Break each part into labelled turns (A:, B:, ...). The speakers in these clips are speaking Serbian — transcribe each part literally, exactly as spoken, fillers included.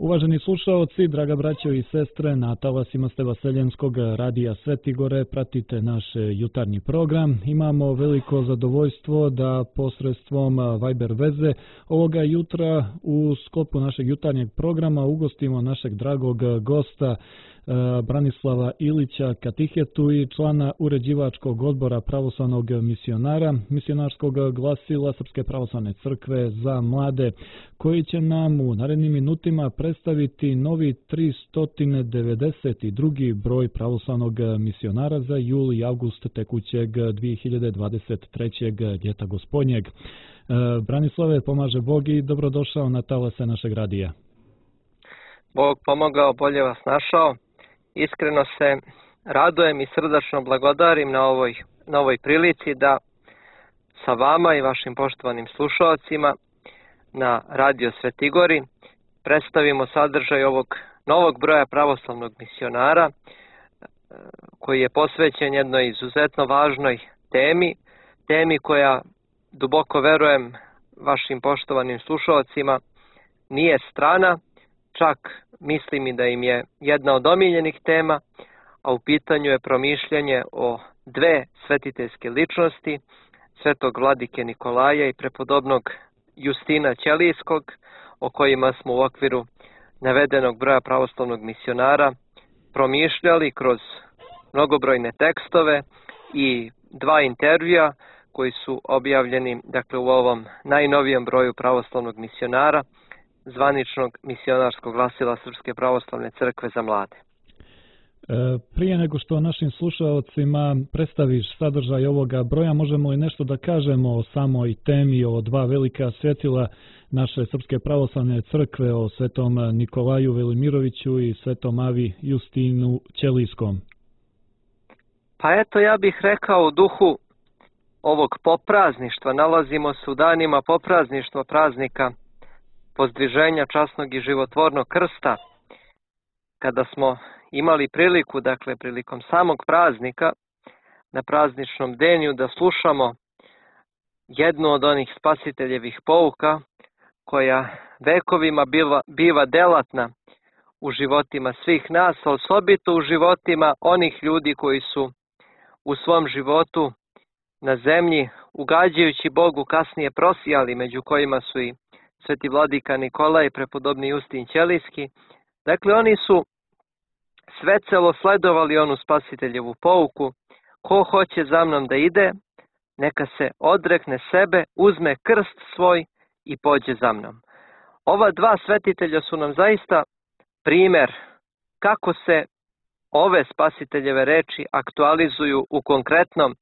A: Uvaženi slušaoci, draga braćo i sestre, na talasima ste Vaseljenskog radija Svetigore, pratite naš jutarnji program. Imamo veliko zadovoljstvo da posredstvom Viber veze ovoga jutra u sklopu našeg jutarnjeg programa ugostimo našeg dragog gosta Branislava Ilića, katehetu i člana uređivačkog odbora pravoslavnog misionara, misionarskog glasila Srpske pravoslavne crkve za mlade, koji će nam u narednim minutima predstaviti novi tristo devedeset drugi broj pravoslavnog misionara za jul i avgust tekućeg dvije hiljade dvadeset trećeg ljeta gospodnjeg. Branislave, pomaže Bog i dobrodošao na talase našeg radija.
B: Bog pomogao, bolje vas našao. Iskreno se radujem i srdačno blagodarim na ovoj, na ovoj prilici da sa vama i vašim poštovanim slušalcima na Radio Svetigori predstavimo sadržaj ovog novog broja pravoslavnog misionara koji je posvećen jednoj izuzetno važnoj temi, temi koja, duboko verujem vašim poštovanim slušalcima, nije strana, čak mislim i da im je jedna od omiljenih tema, a u pitanju je promišljanje o dve svetiteljske ličnosti, svetog vladike Nikolaja i prepodobnog Justina Ćelijskog, o kojima smo u okviru navedenog broja pravoslavnog misionara promišljali kroz mnogobrojne tekstove i dva intervjua koji su objavljeni dakle, u ovom najnovijem broju pravoslavnog misionara, zvaničnog misionarskog glasila Srpske pravoslavne crkve za mlade.
A: Prije nego što našim slušalcima predstaviš sadržaj ovoga broja, možemo li nešto da kažemo o samoj temi, o dva velika svjetila naše Srpske pravoslavne crkve, o svetom Nikolaju Velimiroviću i svetom Avi Justinu Ćelijskom?
B: Pa eto, ja bih rekao u duhu ovog poprazništva, nalazimo se u danima poprazništva praznika pozdviženja časnog i životvornog krsta, kada smo imali priliku, dakle prilikom samog praznika, na prazničnom denju da slušamo jednu od onih spasiteljevih pouka koja vekovima biva, biva delatna u životima svih nas, a osobito u životima onih ljudi koji su u svom životu na zemlji, ugađajući Bogu, kasnije prosijali, među kojima su i sveti vladika Nikolaj i prepodobni Justin Ćelijski. Dakle, oni su svecelo sledovali onu spasiteljevu pouku: ko hoće za mnom da ide, neka se odrekne sebe, uzme krst svoj i pođe za mnom. Ova dva svetitelja su nam zaista primjer kako se ove spasiteljeve reči aktualizuju u konkretnom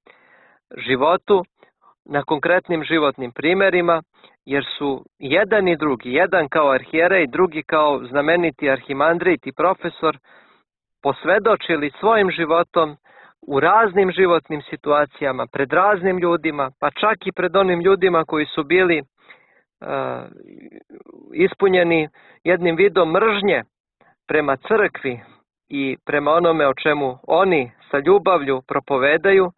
B: životu, na konkretnim životnim primjerima, jer su jedan i drugi, jedan kao arhijerej, drugi kao znameniti arhimandrit i profesor, posvedočili svojim životom u raznim životnim situacijama, pred raznim ljudima, pa čak i pred onim ljudima koji su bili uh, ispunjeni jednim vidom mržnje prema crkvi i prema onome o čemu oni sa ljubavlju propovedaju.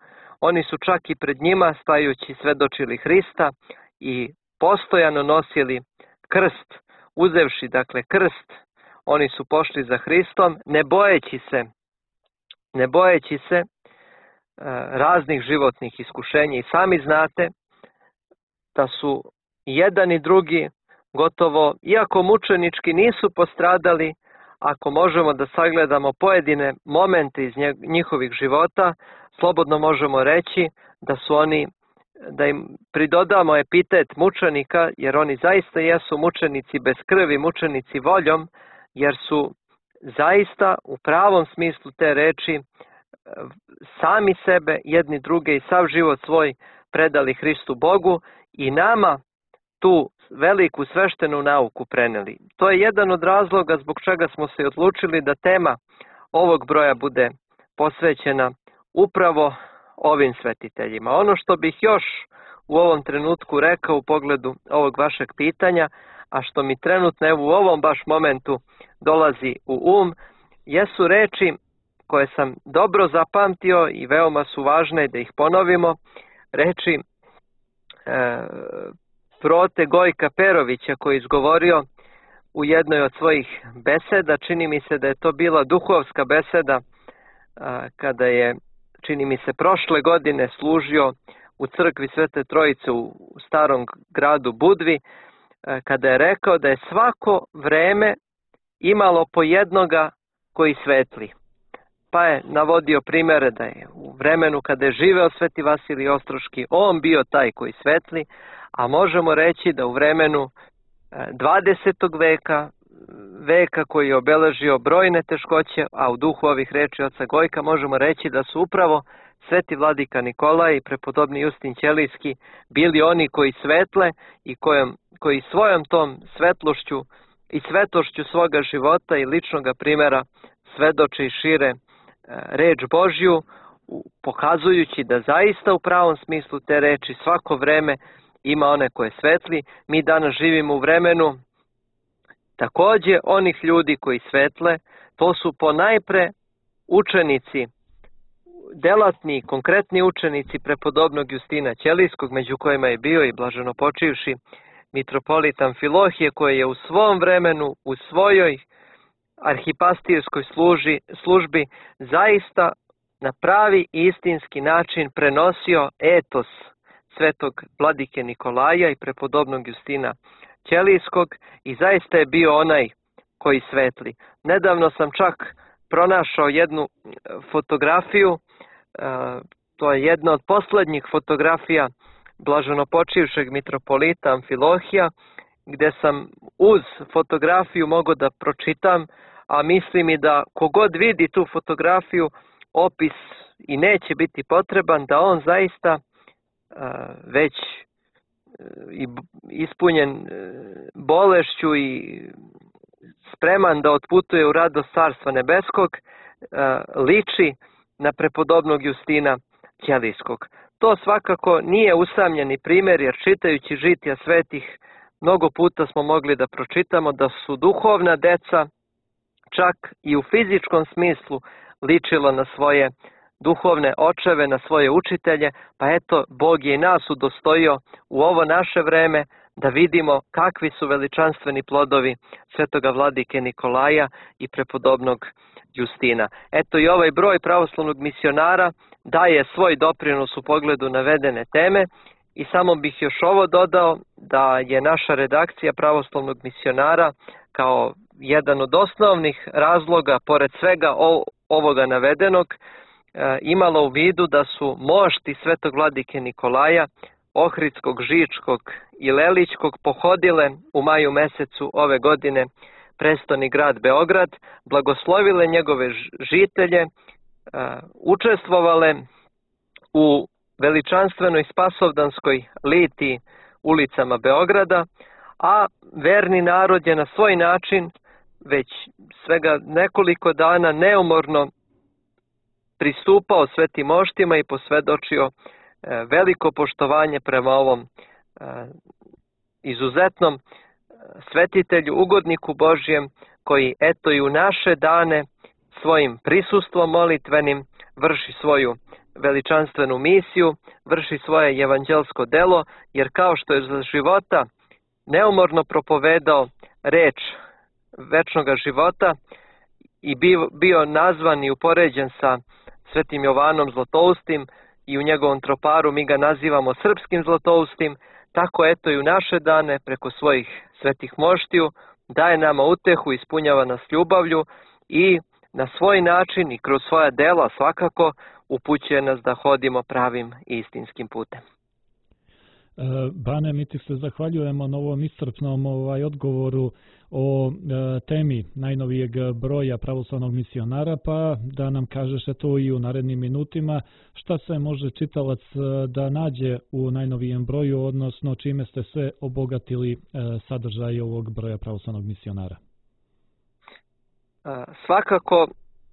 B: Oni su čak i pred njima, stajući, svedočili Hrista i postojano nosili krst, uzevši dakle krst, oni su pošli za Hristom, ne bojeći se, ne bojeći se e, raznih životnih iskušenja. I sami znate da su jedan i drugi gotovo, iako mučenički, nisu postradali. Ako možemo da sagledamo pojedine momente iz njihovih života, slobodno možemo reći da su oni, da im pridodamo epitet mučenika, jer oni zaista jesu mučenici bez krvi, mučenici voljom, jer su zaista u pravom smislu te reči sami sebe, jedni druge i sav život svoj predali Hristu Bogu i nama tu veliku sveštenu nauku preneli. To je jedan od razloga zbog čega smo se odlučili da tema ovog broja bude posvećena upravo ovim svetiteljima. Ono što bih još u ovom trenutku rekao u pogledu ovog vašeg pitanja, a što mi trenutno evo u ovom baš momentu dolazi u um, jesu reči koje sam dobro zapamtio i veoma su važne da ih ponovimo, reči e, prote Gojka Perovića koji je izgovorio u jednoj od svojih beseda, čini mi se da je to bila duhovska beseda, kada je, čini mi se, prošle godine služio u crkvi Svete Trojice u starom gradu Budvi, kada je rekao da je svako vreme imalo po jednoga koji svetli. Pa je navodio primjere da je u vremenu kada je živeo Sveti Vasilij Ostroški on bio taj koji svetli, a možemo reći da u vremenu dvadesetog veka, veka koji je obeležio brojne teškoće, a u duhu ovih reči oca Gojka možemo reći da su upravo Sveti Vladika Nikolaj i prepodobni Justin Ćelijski bili oni koji svetle i kojom, koji svojom tom svetlošću i svetošću svoga života i ličnog primjera svedoče i šire reč Božju, pokazujući da zaista u pravom smislu te reči svako vreme ima one koje svetli. Mi danas živimo u vremenu takođe onih ljudi koji svetle, to su ponajpre učenici, delatni, konkretni učenici prepodobnog Justina Ćelijskog, među kojima je bio i blaženo počivši mitropolit Amfilohije, koji je u svom vremenu, u svojoj arhipastirskoj služi, službi zaista na pravi istinski način prenosio etos svetog Vladike Nikolaja i prepodobnog Justina Ćelijskog i zaista je bio onaj koji svetli. Nedavno sam čak pronašao jednu fotografiju, to je jedna od poslednjih fotografija blaženopočivšeg mitropolita Amfilohija, gde sam uz fotografiju mogao da pročitam, a mislim i da kogod vidi tu fotografiju, opis i neće biti potreban, da on zaista već ispunjen bolešću i spreman da otputuje u radost Carstva nebeskog, liči na prepodobnog Justina Ćelijskog. To svakako nije usamljeni primjer, jer čitajući žitija svetih mnogo puta smo mogli da pročitamo da su duhovna deca čak i u fizičkom smislu ličilo na svoje duhovne očeve, na svoje učitelje, pa eto, Bog je i nas udostojio u ovo naše vreme da vidimo kakvi su veličanstveni plodovi svetoga Vladike Nikolaja i prepodobnog Justina. Eto i ovaj broj pravoslavnog misionara daje svoj doprinos u pogledu navedene teme i samo bih još ovo dodao da je naša redakcija pravoslavnog misionara kao jedan od osnovnih razloga, pored svega ovoga navedenog, imala u vidu da su mošti svetog Vladike Nikolaja, Ohridskog, Žičkog i Lelićkog pohodile u maju mesecu ove godine prestoni grad Beograd, blagoslovile njegove žitelje, učestvovale u veličanstvenoj spasovdanskoj litiji ulicama Beograda, a verni narod je na svoj način već svega nekoliko dana neumorno pristupao svetim moštima i posvedočio veliko poštovanje prema ovom izuzetnom svetitelju, ugodniku Božjem, koji eto i u naše dane svojim prisustvom molitvenim vrši svoju veličanstvenu misiju, vrši svoje evanđelsko delo, jer kao što je za života neumorno propovedao reč večnoga života i bio, bio nazvan i upoređen sa svetim Jovanom Zlatoustim i u njegovom troparu mi ga nazivamo srpskim Zlatoustim, tako eto i u naše dane preko svojih svetih moštiju daje nama utehu, ispunjava nas ljubavlju i na svoj način i kroz svoja dela svakako upućuje nas da hodimo pravim i istinskim putem.
A: Bane, mi ti se zahvaljujemo na ovom iscrpnom ovaj, odgovoru o e, temi najnovijeg broja pravoslavnog misionara, pa da nam kažeš to i u narednim minutima šta se može čitalac da nađe u najnovijem broju, odnosno čime ste sve obogatili e, sadržaj ovog broja pravoslavnog misionara.
B: Svakako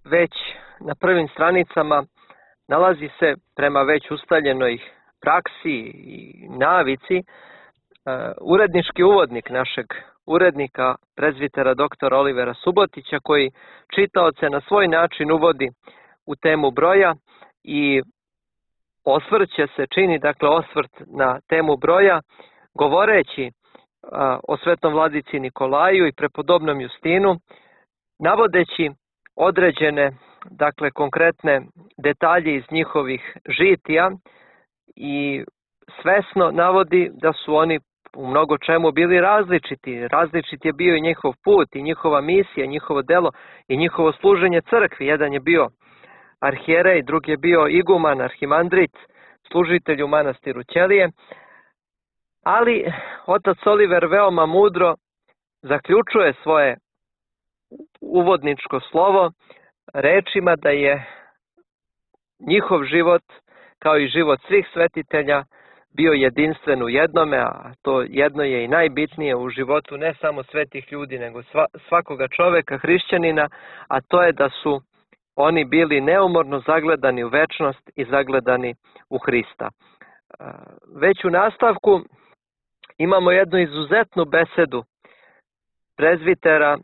B: već na prvim stranicama nalazi se prema već ustaljenoj praksi i navici urednički uvodnik našeg urednika, prezbitera doktora Olivera Subotića, koji čitaoce na svoj način uvodi u temu broja i osvrće se, čini dakle osvrt na temu broja, govoreći o svetom vladici Nikolaju i prepodobnom Justinu, navodeći određene, dakle konkretne detalje iz njihovih žitija i svesno navodi da su oni u mnogo čemu bili različiti. Različit je bio i njihov put i njihova misija, njihovo delo i njihovo služenje crkvi. Jedan je bio arhijerej, drugi je bio iguman, arhimandrit, služitelj u manastiru Ćelije. Ali otac Oliver veoma mudro zaključuje svoje uvodničko slovo rečima da je njihov život, kao i život svih svetitelja, bio jedinstven u jednome, a to jedno je i najbitnije u životu ne samo svetih ljudi, nego svakoga čoveka, hrišćanina, a to je da su oni bili neumorno zagledani u večnost i zagledani u Hrista. Već u nastavku imamo jednu izuzetnu besedu prezbitera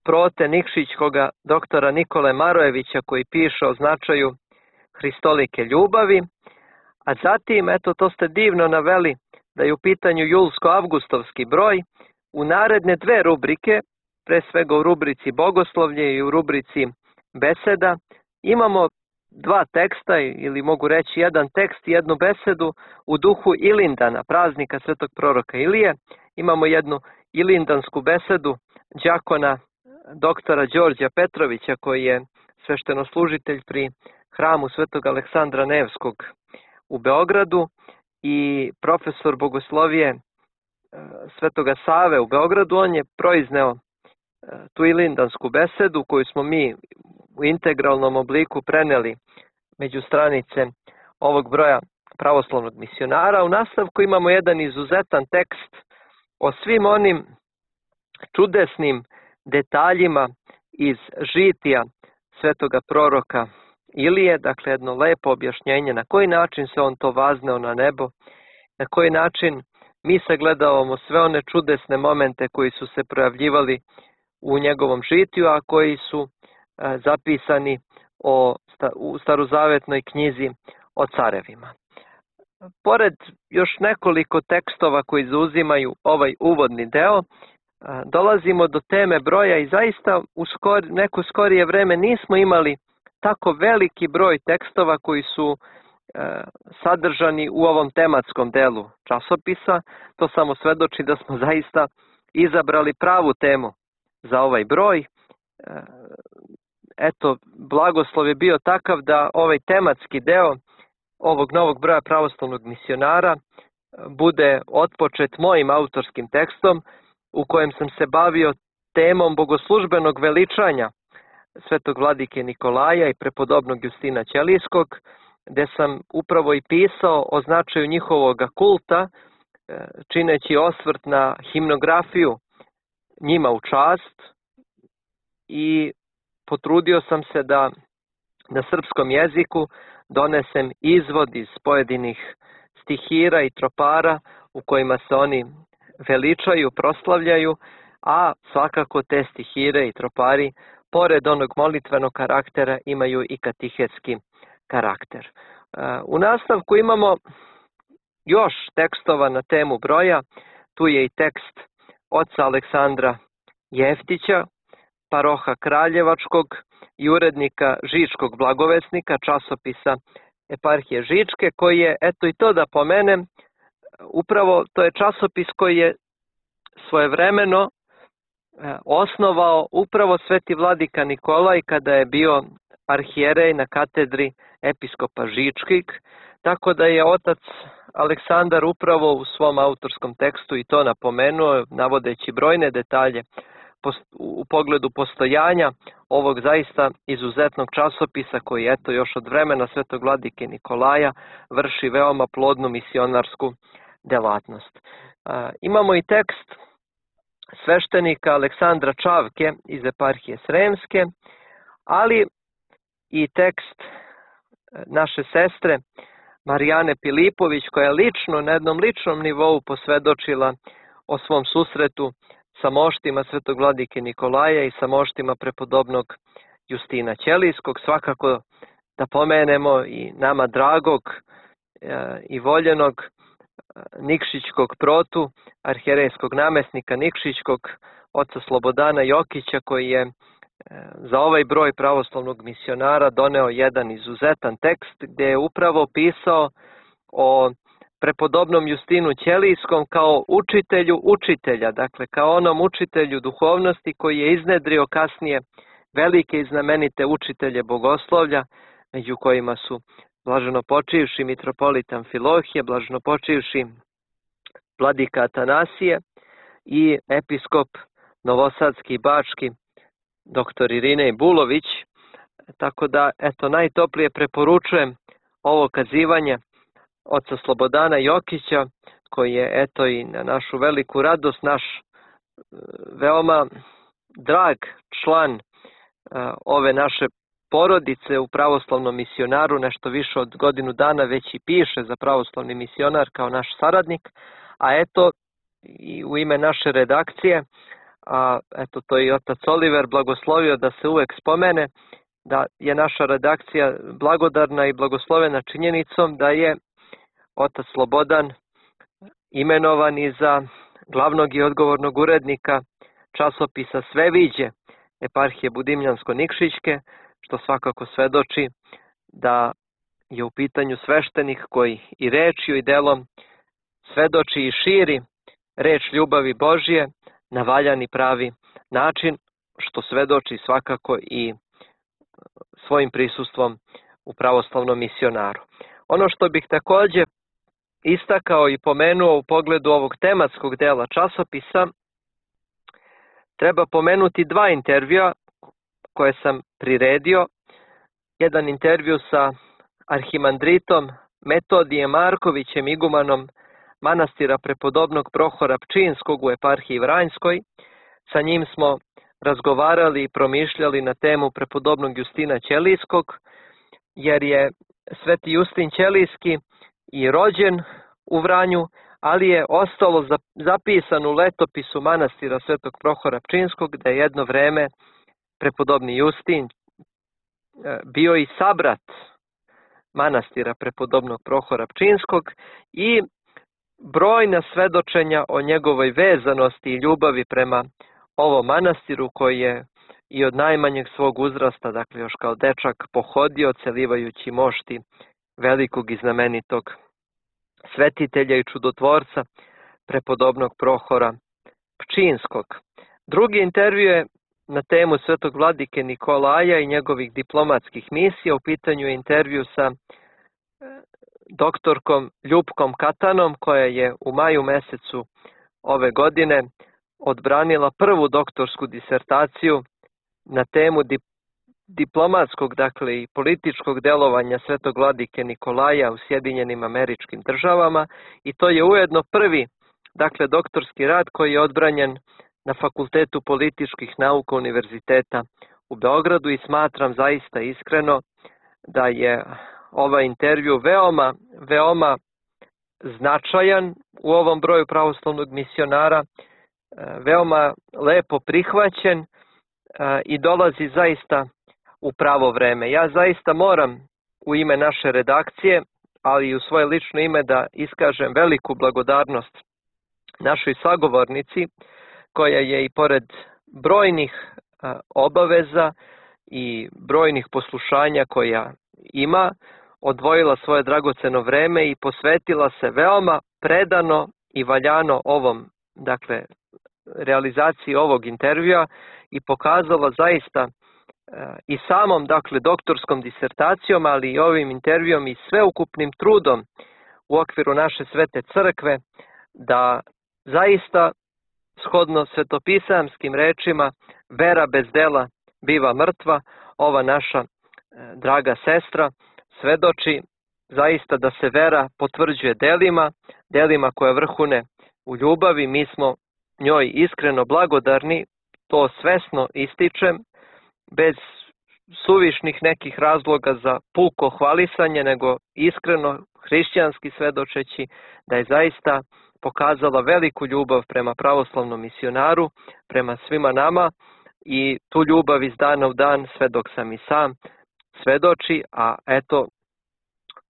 B: Prote Nikšićkoga, doktora Nikole Marojevića, koji piše o značaju hristolike ljubavi, a zatim, eto to ste divno naveli, da je u pitanju julsko-avgustovski broj, u naredne dve rubrike, pre svega u rubrici Bogoslovlje i u rubrici Beseda, imamo dva teksta, ili mogu reći jedan tekst i jednu besedu u duhu Ilindana, praznika svetog proroka Ilije. Imamo jednu ilindansku besedu đakona doktora Đorđa Petrovića, koji je sveštenoslužitelj pri hramu svetog Aleksandra Nevskog u Beogradu, i profesor bogoslovije svetoga Save u Beogradu. On je proizneo tu ilindansku besedu koju smo mi u integralnom obliku preneli među stranice ovog broja pravoslavnog misionara. U nastavku imamo jedan izuzetan tekst o svim onim čudesnim detaljima iz žitija svetoga proroka Ilije, dakle jedno lepo objašnjenje na koji način se on to vazneo na nebo, na koji način mi sagledavamo sve one čudesne momente koji su se projavljivali u njegovom žitiju, a koji su a, zapisani o, u starozavetnoj knjizi o carevima. Pored još nekoliko tekstova koji zauzimaju ovaj uvodni deo, a, dolazimo do teme broja i zaista u skor, neko skorije vreme nismo imali tako veliki broj tekstova koji su e, sadržani u ovom tematskom delu časopisa. To samo svedoči da smo zaista izabrali pravu temu za ovaj broj. E, eto, blagoslov je bio takav da ovaj tematski deo ovog novog broja pravoslavnog misionara bude otpočet mojim autorskim tekstom u kojem sam se bavio temom bogoslužbenog veličanja svetog vladike Nikolaja i prepodobnog Justina Ćelijskog, gde sam upravo i pisao o značaju njihovog kulta, čineći osvrt na himnografiju njima u čast, i potrudio sam se da na srpskom jeziku donesem izvod iz pojedinih stihira i tropara u kojima se oni veličaju, proslavljaju, a svakako te stihire i tropari pored onog molitvenog karaktera imaju i katehetski karakter. U nastavku imamo još tekstova na temu broja. Tu je i tekst oca Aleksandra Jeftića, paroha Kraljevačkog i urednika Žičkog blagovesnika, časopisa Eparhije Žičke, koji je, eto i to da pomenem, upravo to je časopis koji je svojevremeno osnovao upravo sveti vladika Nikolaj kada je bio arhijerej na katedri episkopa Žičkih, tako da je otac Aleksandar upravo u svom autorskom tekstu i to napomenuo, navodeći brojne detalje u pogledu postojanja ovog zaista izuzetnog časopisa koji, eto, još od vremena svetog vladike Nikolaja vrši veoma plodnu misionarsku delatnost. Imamo i tekst sveštenika Aleksandra Čavke iz Eparhije Sremske, ali i tekst naše sestre Marijane Pilipović, koja je lično, na jednom ličnom nivou posvedočila o svom susretu sa moštima svetog vladike Nikolaja i sa moštima prepodobnog Justina Ćelijskog. Svakako da pomenemo i nama dragog e, i voljenog Nikšićkog protu, arhijerejskog namjesnika Nikšićkog, oca Slobodana Jokića, koji je za ovaj broj pravoslavnog misionara doneo jedan izuzetan tekst gdje je upravo pisao o prepodobnom Justinu Ćelijskom kao učitelju učitelja, dakle kao onom učitelju duhovnosti koji je iznedrio kasnije velike i znamenite učitelje bogoslovlja, među kojima su blaženopočivši mitropolit Amfilohije, blaženopočivši vladika Atanasije i episkop novosadski i bački doktor Irinej Bulović. Tako da, eto, najtoplije preporučujem ovo kazivanje oca Slobodana Jokića, koji je, eto, i na našu veliku radost, naš veoma drag član ove naše porodice u pravoslavnom misionaru, nešto više od godinu dana već i piše za pravoslavni misionar kao naš saradnik, a eto i u ime naše redakcije, a eto to i otac Oliver blagoslovio da se uvek spomene, da je naša redakcija blagodarna i blagoslovena činjenicom da je otac Slobodan imenovan i za glavnog i odgovornog urednika časopisa Sveviđe eparhije Budimljansko-Nikšićke, što svakako svedoči da je u pitanju sveštenik koji i rečju i delom svedoči i širi reč ljubavi Božje na valjan i pravi način, što svedoči svakako i svojim prisustvom u pravoslavnom misionaru. Ono što bih također istakao i pomenuo u pogledu ovog tematskog dela časopisa, treba pomenuti dva intervjua koje sam priredio. Jedan intervju sa arhimandritom Metodijem Markovićem, igumanom manastira prepodobnog Prohora Pčinskog u eparhiji Vranjskoj. Sa njim smo razgovarali i promišljali na temu prepodobnog Justina Ćelijskog, jer je sveti Justin Ćelijski i rođen u Vranju, ali je ostalo zapisano u letopisu manastira svetog Prohora Pčinskog da je jedno vreme prepodobni Justin bio i sabrat manastira prepodobnog Prohora Pčinskog i brojna svedočenja o njegovoj vezanosti i ljubavi prema ovom manastiru koji je i od najmanjeg svog uzrasta, dakle još kao dečak, pohodio celivajući mošti velikog i znamenitog svetitelja i čudotvorca prepodobnog Prohora Pčinskog. Drugi intervju je na temu svetog vladike Nikolaja i njegovih diplomatskih misija. U pitanju je intervju sa doktorkom Ljupkom Katanom, koja je u maju mesecu ove godine odbranila prvu doktorsku disertaciju na temu dip diplomatskog, dakle i političkog delovanja svetog vladike Nikolaja u Sjedinjenim Američkim Državama, i to je ujedno prvi, dakle, doktorski rad koji je odbranjen na Fakultetu političkih nauka Univerziteta u Beogradu, i smatram zaista iskreno da je ovaj intervju veoma, veoma značajan u ovom broju pravoslavnog misionara, veoma lepo prihvaćen i dolazi zaista u pravo vreme. Ja zaista moram u ime naše redakcije, ali i u svoje lično ime, da iskažem veliku blagodarnost našoj sagovornici, koja je i pored brojnih obaveza i brojnih poslušanja koja ima, odvojila svoje dragoceno vreme i posvetila se veoma predano i valjano ovom, dakle, realizaciji ovog intervjua, i pokazala zaista i samom, dakle, doktorskom disertacijom, ali i ovim intervjuom i sveukupnim trudom u okviru naše svete crkve, da zaista, shodno svetopisamskim rečima, vera bez dela biva mrtva. Ova naša draga sestra svedoči zaista da se vera potvrđuje delima, delima koje vrhune u ljubavi. Mi smo njoj iskreno blagodarni, to svesno ističem, bez suvišnih nekih razloga za puko hvalisanje, nego iskreno hrišćanski svedočeći da je zaista pokazala veliku ljubav prema pravoslavnom misionaru, prema svima nama, i tu ljubav iz dana u dan, sve dok sam i sam, svedoči. A eto,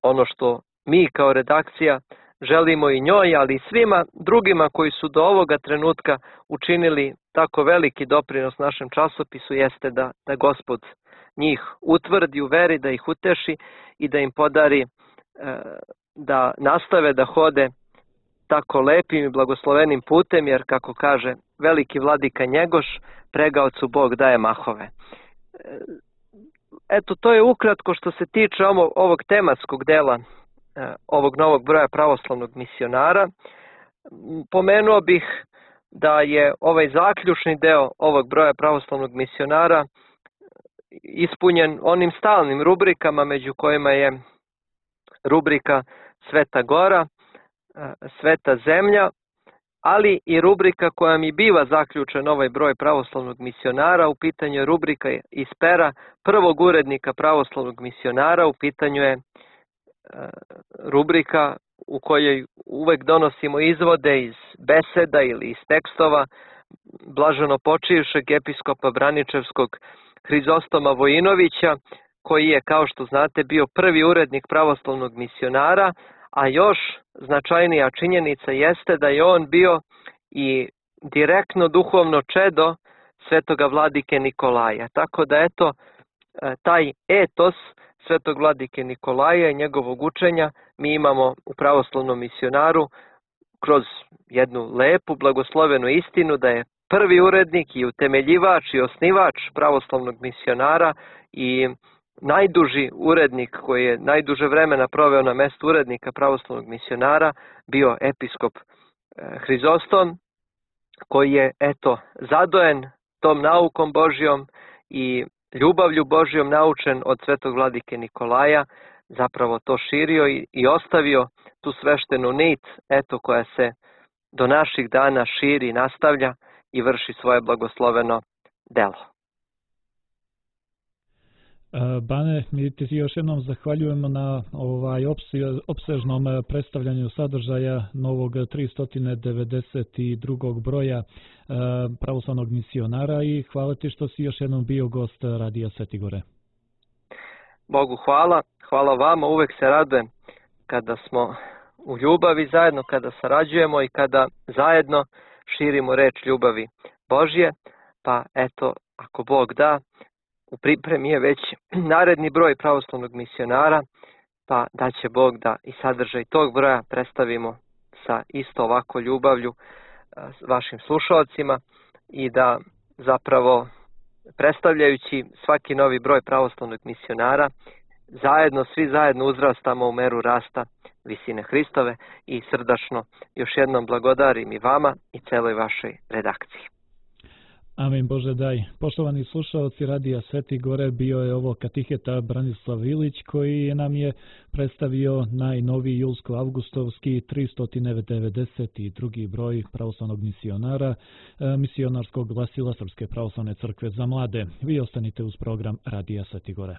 B: ono što mi kao redakcija želimo i njoj, ali i svima drugima koji su do ovoga trenutka učinili tako veliki doprinos našem časopisu, jeste da, da Gospod njih utvrdi u veri, da ih uteši i da im podari e, da nastave da hode tako lepim i blagoslovenim putem, jer kako kaže veliki vladika Njegoš, pregaocu Bog daje mahove. Eto, to je ukratko što se tiče ovog tematskog dela ovog novog broja pravoslavnog misionara. Pomenuo bih da je ovaj zaključni deo ovog broja pravoslavnog misionara ispunjen onim stalnim rubrikama, među kojima je rubrika Sveta Gora, Sveta Zemlja, ali i rubrika koja mi biva zaključen ovaj broj pravoslavnog misionara. U pitanju je rubrika iz pera prvog urednika pravoslavnog misionara, u pitanju je rubrika u kojoj uvek donosimo izvode iz beseda ili iz tekstova blaženo počivšeg episkopa Braničevskog Hrizostoma Vojinovića, koji je, kao što znate, bio prvi urednik pravoslavnog misionara, a još značajnija činjenica jeste da je on bio i direktno duhovno čedo svetoga vladike Nikolaja. Tako da eto, taj etos svetog vladike Nikolaja i njegovog učenja mi imamo u pravoslavnom misionaru kroz jednu lepu blagoslovenu istinu da je prvi urednik i utemeljivač i osnivač pravoslavnog misionara i najduži urednik koji je najduže vremena proveo na mestu urednika pravoslavnog misionara bio episkop Hrizostom, koji je eto zadojen tom naukom Božjom i ljubavlju Božjom naučen od svetog vladike Nikolaja, zapravo to širio i, i ostavio tu sveštenu nit, eto, koja se do naših dana širi, nastavlja i vrši svoje blagosloveno delo.
A: Bane, mi ti još jednom zahvaljujemo na ovaj opsežnom predstavljanju sadržaja novog tristo devedeset drugog broja pravoslavnog misionara i hvala ti što si još jednom bio gost Radija Svete Gore.
B: Bogu hvala, hvala vama, uvek se radujem kada smo u ljubavi zajedno, kada sarađujemo i kada zajedno širimo reč ljubavi Božje, pa eto, ako Bog da, u pripremi je već naredni broj pravoslavnog misionara, pa da će Bog da i sadržaj tog broja predstavimo sa isto ovako ljubavlju vašim slušalcima i da zapravo predstavljajući svaki novi broj pravoslavnog misionara, zajedno, svi zajedno uzrastamo u meru rasta visine Hristove i srdačno još jednom blagodarim i vama i celoj vašoj redakciji.
A: Amin Bože daj. Poštovani slušalci Radija Svete Gore, bio je ovo katiheta Branislav Ilić koji nam je predstavio najnoviji julsko-avgustovski tristo devedeset drugi broj pravoslavnog misionara, misionarskog glasila Srpske pravoslavne crkve za mlade. Vi ostanite uz program Radija Svete Gore.